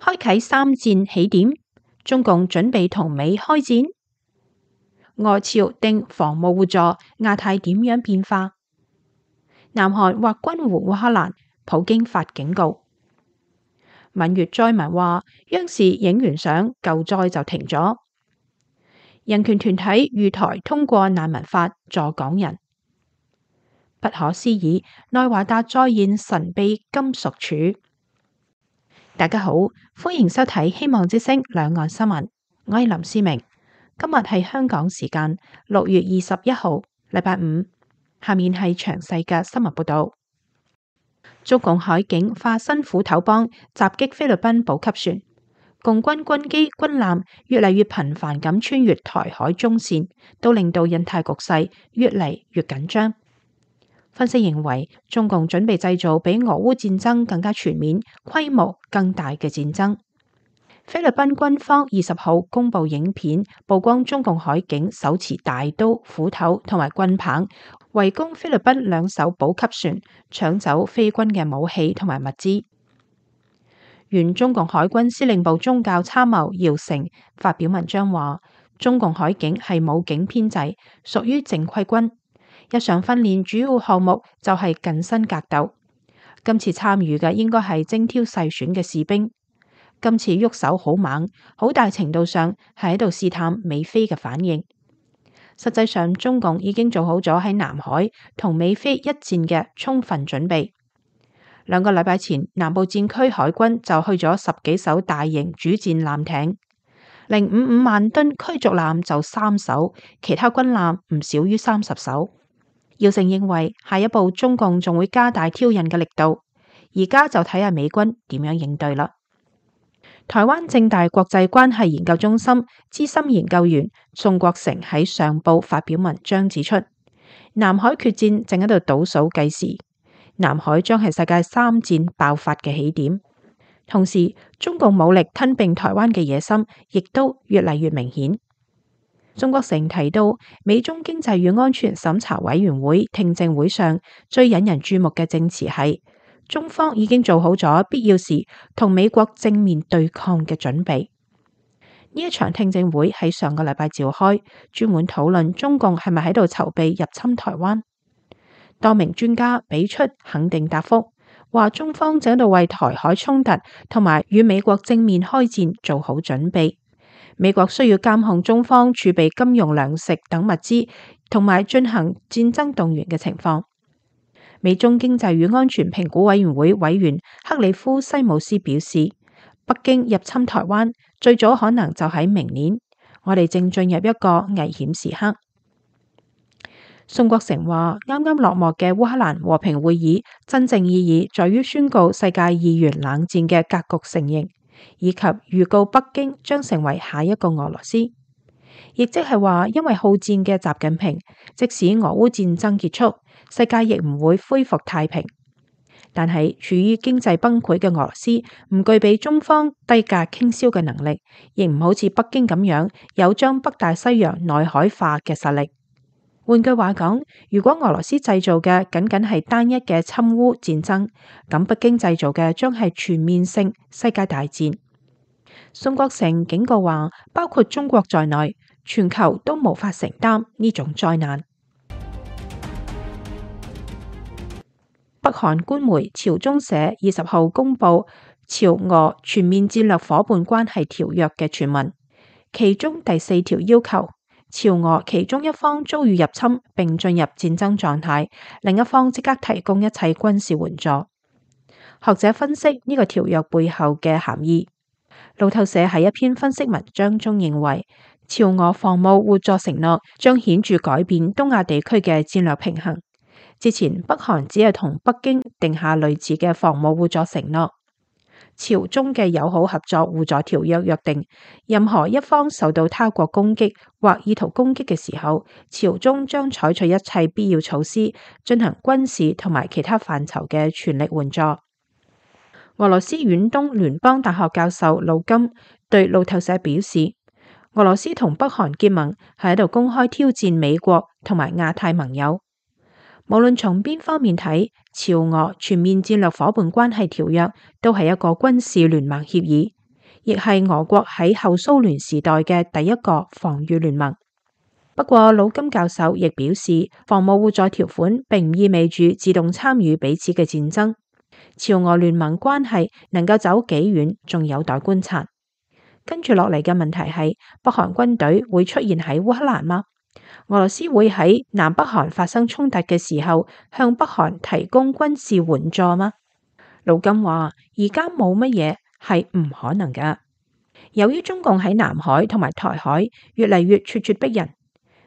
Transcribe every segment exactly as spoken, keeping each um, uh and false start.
開啟三戰起點，中共準備同美開戰。俄朝定防務互助，亞太點樣變化？南韓或軍援烏克蘭，普京發警告。閩粵災民話，央視影完相，救災就停咗。人權團體逾台通過難民法助港人。不可思議，內華達再現神秘金屬柱。大家好，歡迎收睇希望之聲兩岸新聞，我係林思明。今日係香港時間六月二十一號，禮拜五。下面係詳細嘅新聞報道。中共海警化身斧頭幫，襲擊菲律賓補給船，共軍軍機軍艦越嚟越頻繁咁穿越台海中線，都令到印太局勢越嚟越緊張。分析認為，中共準備製造比俄烏戰爭更加全面、規模更大嘅戰爭。菲律賓軍方二十號公布影片，曝光中共海警手持大刀、斧頭同埋棍棒，圍攻菲律賓兩艘補給船，搶走菲軍嘅武器同埋物資。原中共海軍司令部宗教參謀姚成發表文章話，中共海警係武警編制，屬於正規軍。日常訓練主要項目就係近身格鬥。今次參與嘅應該係精挑細選嘅士兵。今次喐手好猛，好大程度上係喺度試探美菲嘅反應。實際上，中共已經做好咗喺南海同美菲一戰嘅充分準備。兩個禮拜前，南部戰區海軍就去咗十幾艘大型主戰艦艇，零五五萬噸驅逐艦就三艘，其他軍艦唔少於三十艘。姚成認為，下一步中共仲會加大挑釁嘅力度，而家就睇下美軍點樣應對啦。台灣政大國際關係研究中心資深研究員宋國成喺上報發表文章指出，南海決戰正喺度倒數計時，南海將係世界三戰爆發嘅起點。同時，中共武力吞併台灣嘅野心亦都越嚟越明顯。宋國成提到，美中經濟與安全審查委員會聽證會上最引人注目嘅證詞係，中方已經做好咗必要時同美國正面對抗嘅準備。呢一場聽證會喺上個禮拜召開，專門討論中共係咪喺度籌備入侵台灣。多名專家俾出肯定答覆，話中方正喺度為台海衝突同埋與美國正面開戰做好準備。美國需要監控中方儲備金融、糧食等物資，同埋進行戰爭動員嘅情況。美中經濟與安全評估委員會委員克里夫西姆斯表示，北京入侵台灣最早可能就喺明年，我哋正進入一個危險時刻。宋國成話，啱啱落幕嘅烏克蘭和平會議真正意義在於宣告世界二元冷戰嘅格局成形，以及預告北京將成為下一個俄羅斯，亦即係話，因為好戰嘅習近平，即使俄烏戰爭結束，世界亦唔會恢復太平。但係處於經濟崩潰嘅俄羅斯，唔具備中方低價傾銷嘅能力，亦唔好似北京咁樣有將北大西洋內海化嘅實力。換句話講，如果俄羅斯製造嘅僅僅係單一嘅侵烏戰爭，咁北京製造嘅將係全面性世界大戰。宋國成警告話，包括中國在內，全球都無法承擔呢種災難。北韓官媒朝中社二十號公布朝俄全面戰略夥伴關係條約嘅全文，其中第四條要求，朝俄其中一方遭遇入侵並進入戰爭狀態，另一方即刻提供一切軍事援助。學者分析呢個條約背後嘅含義。路透社喺一篇分析文章中認為，朝俄防務互助承諾將顯著改變東亞地區嘅戰略平衡。之前北韓只係同北京定下類似嘅防務互助承諾。朝中嘅友好合作互助條約約定，任何一方受到他國攻擊或意圖攻擊嘅時候，朝中將採取一切必要措施，進行軍事同埋其他範疇嘅全力援助。俄羅斯遠東聯邦大學教授盧金對路透社表示，俄羅斯同北韓結盟係喺度公開挑戰美國同埋亞太盟友。無論從邊方面睇，朝俄全面戰略夥伴關係條約都係一個軍事聯盟協議，亦係俄國喺後蘇聯時代嘅第一個防禦聯盟。不過，魯金教授亦表示，防務互助條款並唔意味住自動參與彼此嘅戰爭。朝俄聯盟關係能夠走幾遠，仲有待觀察。跟住落嚟嘅問題係，北韓軍隊會出現喺烏克蘭嗎？俄羅斯會喺南北韓發生衝突嘅時候向北韓提供軍事援助嗎？魯金話：而家冇乜嘢係唔可能㗎。由於中共喺南海同埋台海越嚟越咄咄逼人，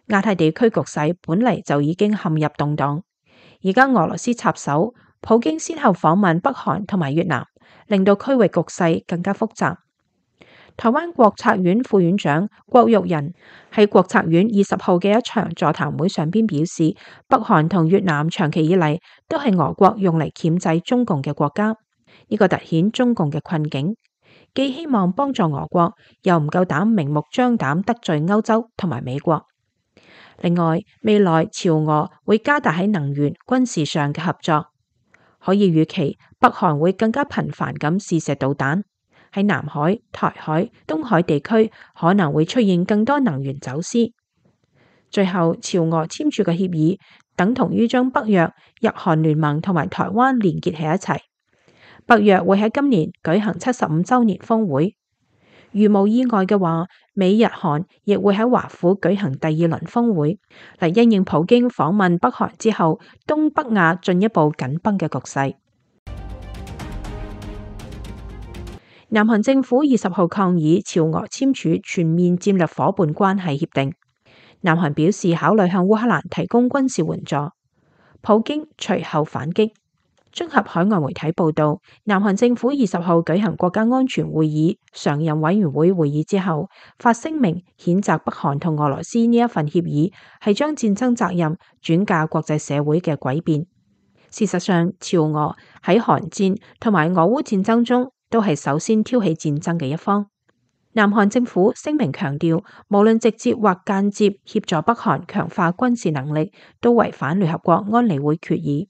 亞太地區局勢本嚟就已經陷入動盪，而家俄羅斯插手，普京先後訪問北韓同埋越南，令到區域局勢更加複雜。台灣國策院副院長郭玉仁喺國策院二十號嘅一場座談會上邊表示，北韓同越南長期以嚟都係俄國用嚟鉗制中共嘅國家，呢個凸顯中共嘅困境，既希望幫助俄國，又唔夠膽明目張膽得罪歐洲同埋美國。另外，未來朝俄會加大喺能源、軍事上嘅合作，可以預期北韓會更加頻繁咁試射導彈，喺南海、台海、東海地區可能會出現更多能源走私。最後，朝俄簽署嘅協議等同於將北約、日韓聯盟同埋台灣連結喺一齊。北約會喺今年舉行七十五週年峰會。如無意外嘅話，美日韓亦會喺華府舉行第二輪峰會，嚟因應普京訪問北韓之後，東北亞進一步緊繃嘅局勢。南韓政府二十號抗議朝俄簽署全面戰略夥伴關係協定，南韓表示考慮向烏克蘭提供軍事援助，普京隨後反擊。綜合海外媒體報道，南韓政府二十號舉行國家安全會議常任委員會會議之後，發聲明譴責北韓同俄羅斯呢一份協議係將戰爭責任轉嫁國際社會嘅詭辯。事實上，朝俄喺韓戰同埋俄烏戰爭中都係首先挑起戰爭嘅一方。南韓政府聲明強調，無論直接或間接協助北韓強化軍事能力，都違反聯合國安理會決議。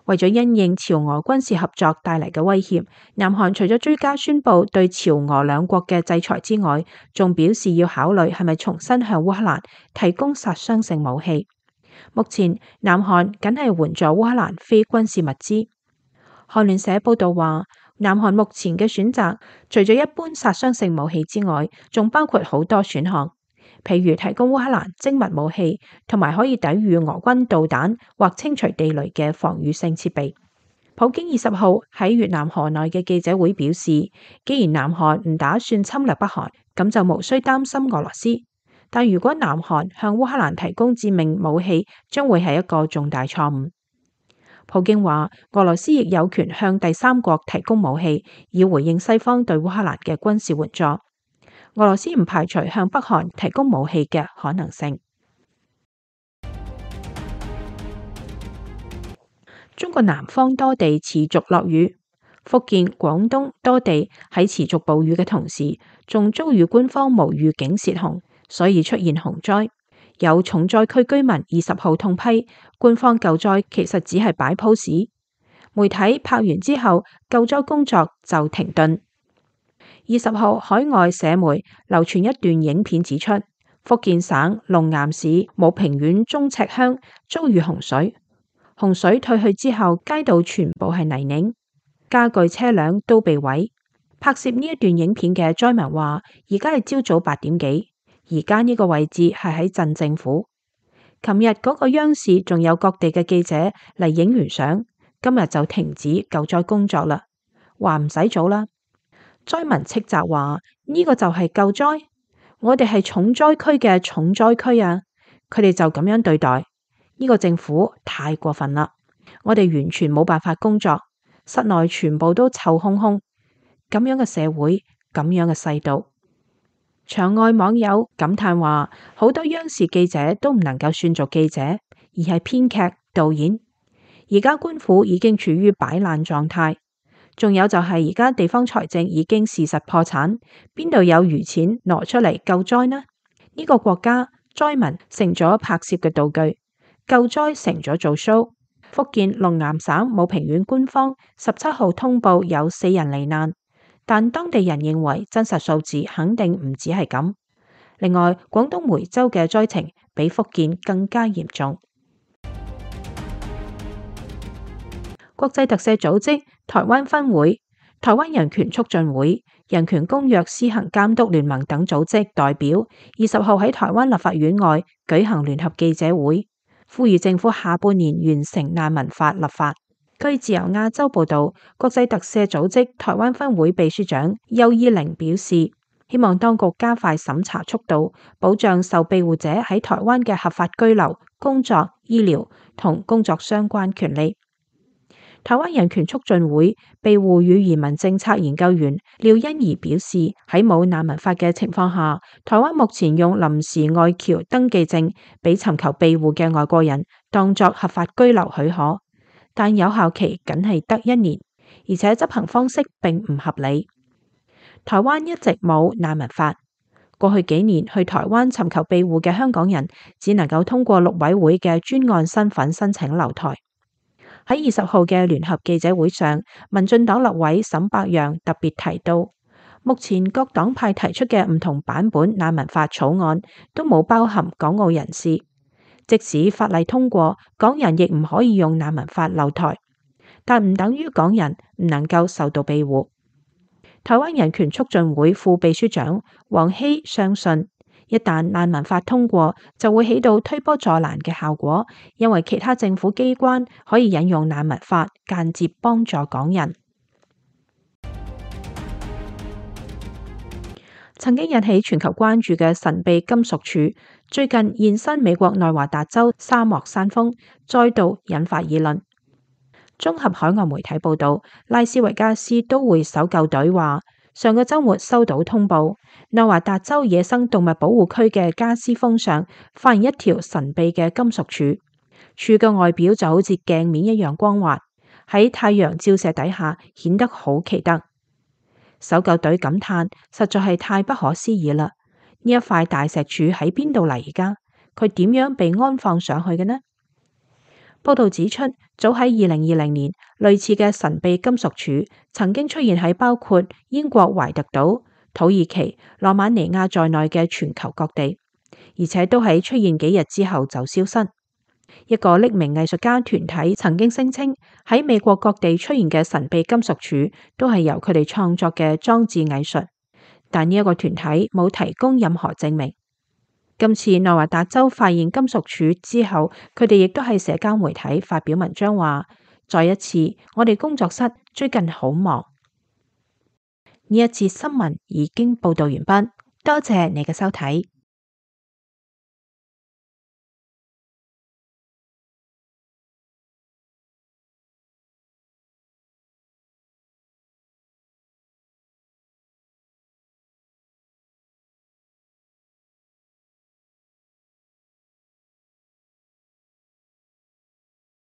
為咗因應朝俄軍事合作帶嚟嘅威脅，南韓除咗追加宣布對朝俄兩國嘅制裁之外，仲表示要考慮係咪重新向烏克蘭提供殺傷性武器。目前，南韓僅係援助烏克蘭非軍事物資。韓聯社報道話，南韓目前嘅選擇，除咗一般殺傷性武器之外，仲包括好多選項。譬如提供烏克蘭精密武器，同埋可以抵禦俄軍導彈或清除地雷嘅防禦性設備。普京二十號喺越南河內嘅記者會表示，既然南韓唔打算侵略北韓，咁就無需擔心俄羅斯。但如果南韓向烏克蘭提供致命武器，將會係一個重大錯誤。普京話，俄羅斯亦有權向第三國提供武器，以回應西方對烏克蘭嘅軍事援助。俄羅斯唔排除向北韓提供武器嘅可能性。中國南方多地持續落雨，福建、廣東多地喺持續暴雨嘅同時，仲遭遇官方無預警洩洪，所以出現洪災。有重災區居民二十號痛批，官方救災其實只係擺 pose。媒體拍完之後，救災工作就停頓。二十號，海外社媒流傳一段影片，指出福建省龍岩市武平縣中赤鄉遭遇洪水，洪水退去之後，街道全部係泥濘，家具車輛都被毀。拍攝呢一段影片嘅災民話，而家係朝早八點幾，而家呢個位置係喺鎮政府。琴日嗰個央視仲有各地嘅記者嚟影完相，今日就停止救災工作啦，話唔使做啦。災民斥責話，呢個就係救災，我哋係重災區嘅重災區啊！佢哋就咁樣對待，呢個政府太過分啦！我哋完全冇辦法工作，室內全部都臭烘烘，咁樣嘅社會，咁樣嘅世道。場外網友感嘆話，好多央視記者都唔能夠算做記者，而係編劇、導演。而家官府已經處於擺爛狀態。仲有就係而家地方財政已經事實破產，邊度有餘錢攞出嚟救災呢？呢個國家災民成咗拍攝嘅道具，救災成咗做 show。福建龍岩省武平縣官方十七號通報有四人罹難，但當地人認為真實數字肯定唔止係咁。另外，廣東梅州嘅災情比福建更加嚴重。國際特赦組織台灣分會、台灣人權促進會、人權公約施行監督聯盟等組織代表二十號喺台灣立法院外舉行聯合記者會，呼籲政府下半年完成難民法立法。據自由亞洲報導，國際特赦組織台灣分會秘書長邱依玲表示，希望當局加快審查速度，保障受庇護者喺台灣嘅合法居留、工作、醫療同工作相關權利。台灣人權促進會庇護與移民政策研究員廖欣怡表示，喺冇難民法嘅情況下，台灣目前用臨時外僑登記證俾尋求庇護嘅外國人當作合法居留許可，但有效期僅係得一年，而且執行方式並唔合理。台灣一直冇難民法，過去幾年去台灣尋求庇護嘅香港人只能夠通過陸委會嘅專案身份申請留台。喺二十號嘅聯合記者會上，民進黨立委沈伯洋特別提到，目前各黨派提出嘅唔同版本難民法草案都冇包含港澳人士，即使法例通過，港人亦唔可以用難民法留台，但唔等於港人唔能夠受到庇護。台灣人權促進會副秘書長黃希相信，一旦難民法通過，就會起到推波助瀾嘅效果，因為其他政府機關可以引用難民法間接幫助港人。曾經引起全球關注嘅神秘金屬柱，最近現身美國內華達州沙漠山峰，再度引發議論。綜合海外媒體報道，拉斯維加斯都會搜救隊話，上個週末收到通報，內華達州野生動物保護區嘅加斯峰上發現一條神秘嘅金屬柱，柱嘅外表就好似鏡面一樣光滑，喺太陽照射底下顯得好奇特。搜救隊感嘆，實在係太不可思議啦！呢一塊大石柱喺邊度嚟㗎？佢點樣被安放上去嘅呢？報道指出，早喺二零二零年，類似嘅神秘金屬柱曾經出現喺包括英國懷特島、土耳其、羅馬尼亞在內嘅全球各地，而且都喺出現幾日之後就消失。一個匿名藝術家團體曾經聲稱，喺美國各地出現嘅神秘金屬柱都係由佢哋創作嘅裝置藝術，但呢一個團體冇提供任何證明。今次內華達州發現金屬柱之後，佢哋亦都喺社交媒體發表文章話，再一次，我哋工作室最近好忙。呢一節新聞已經報道完畢，多謝你嘅收睇。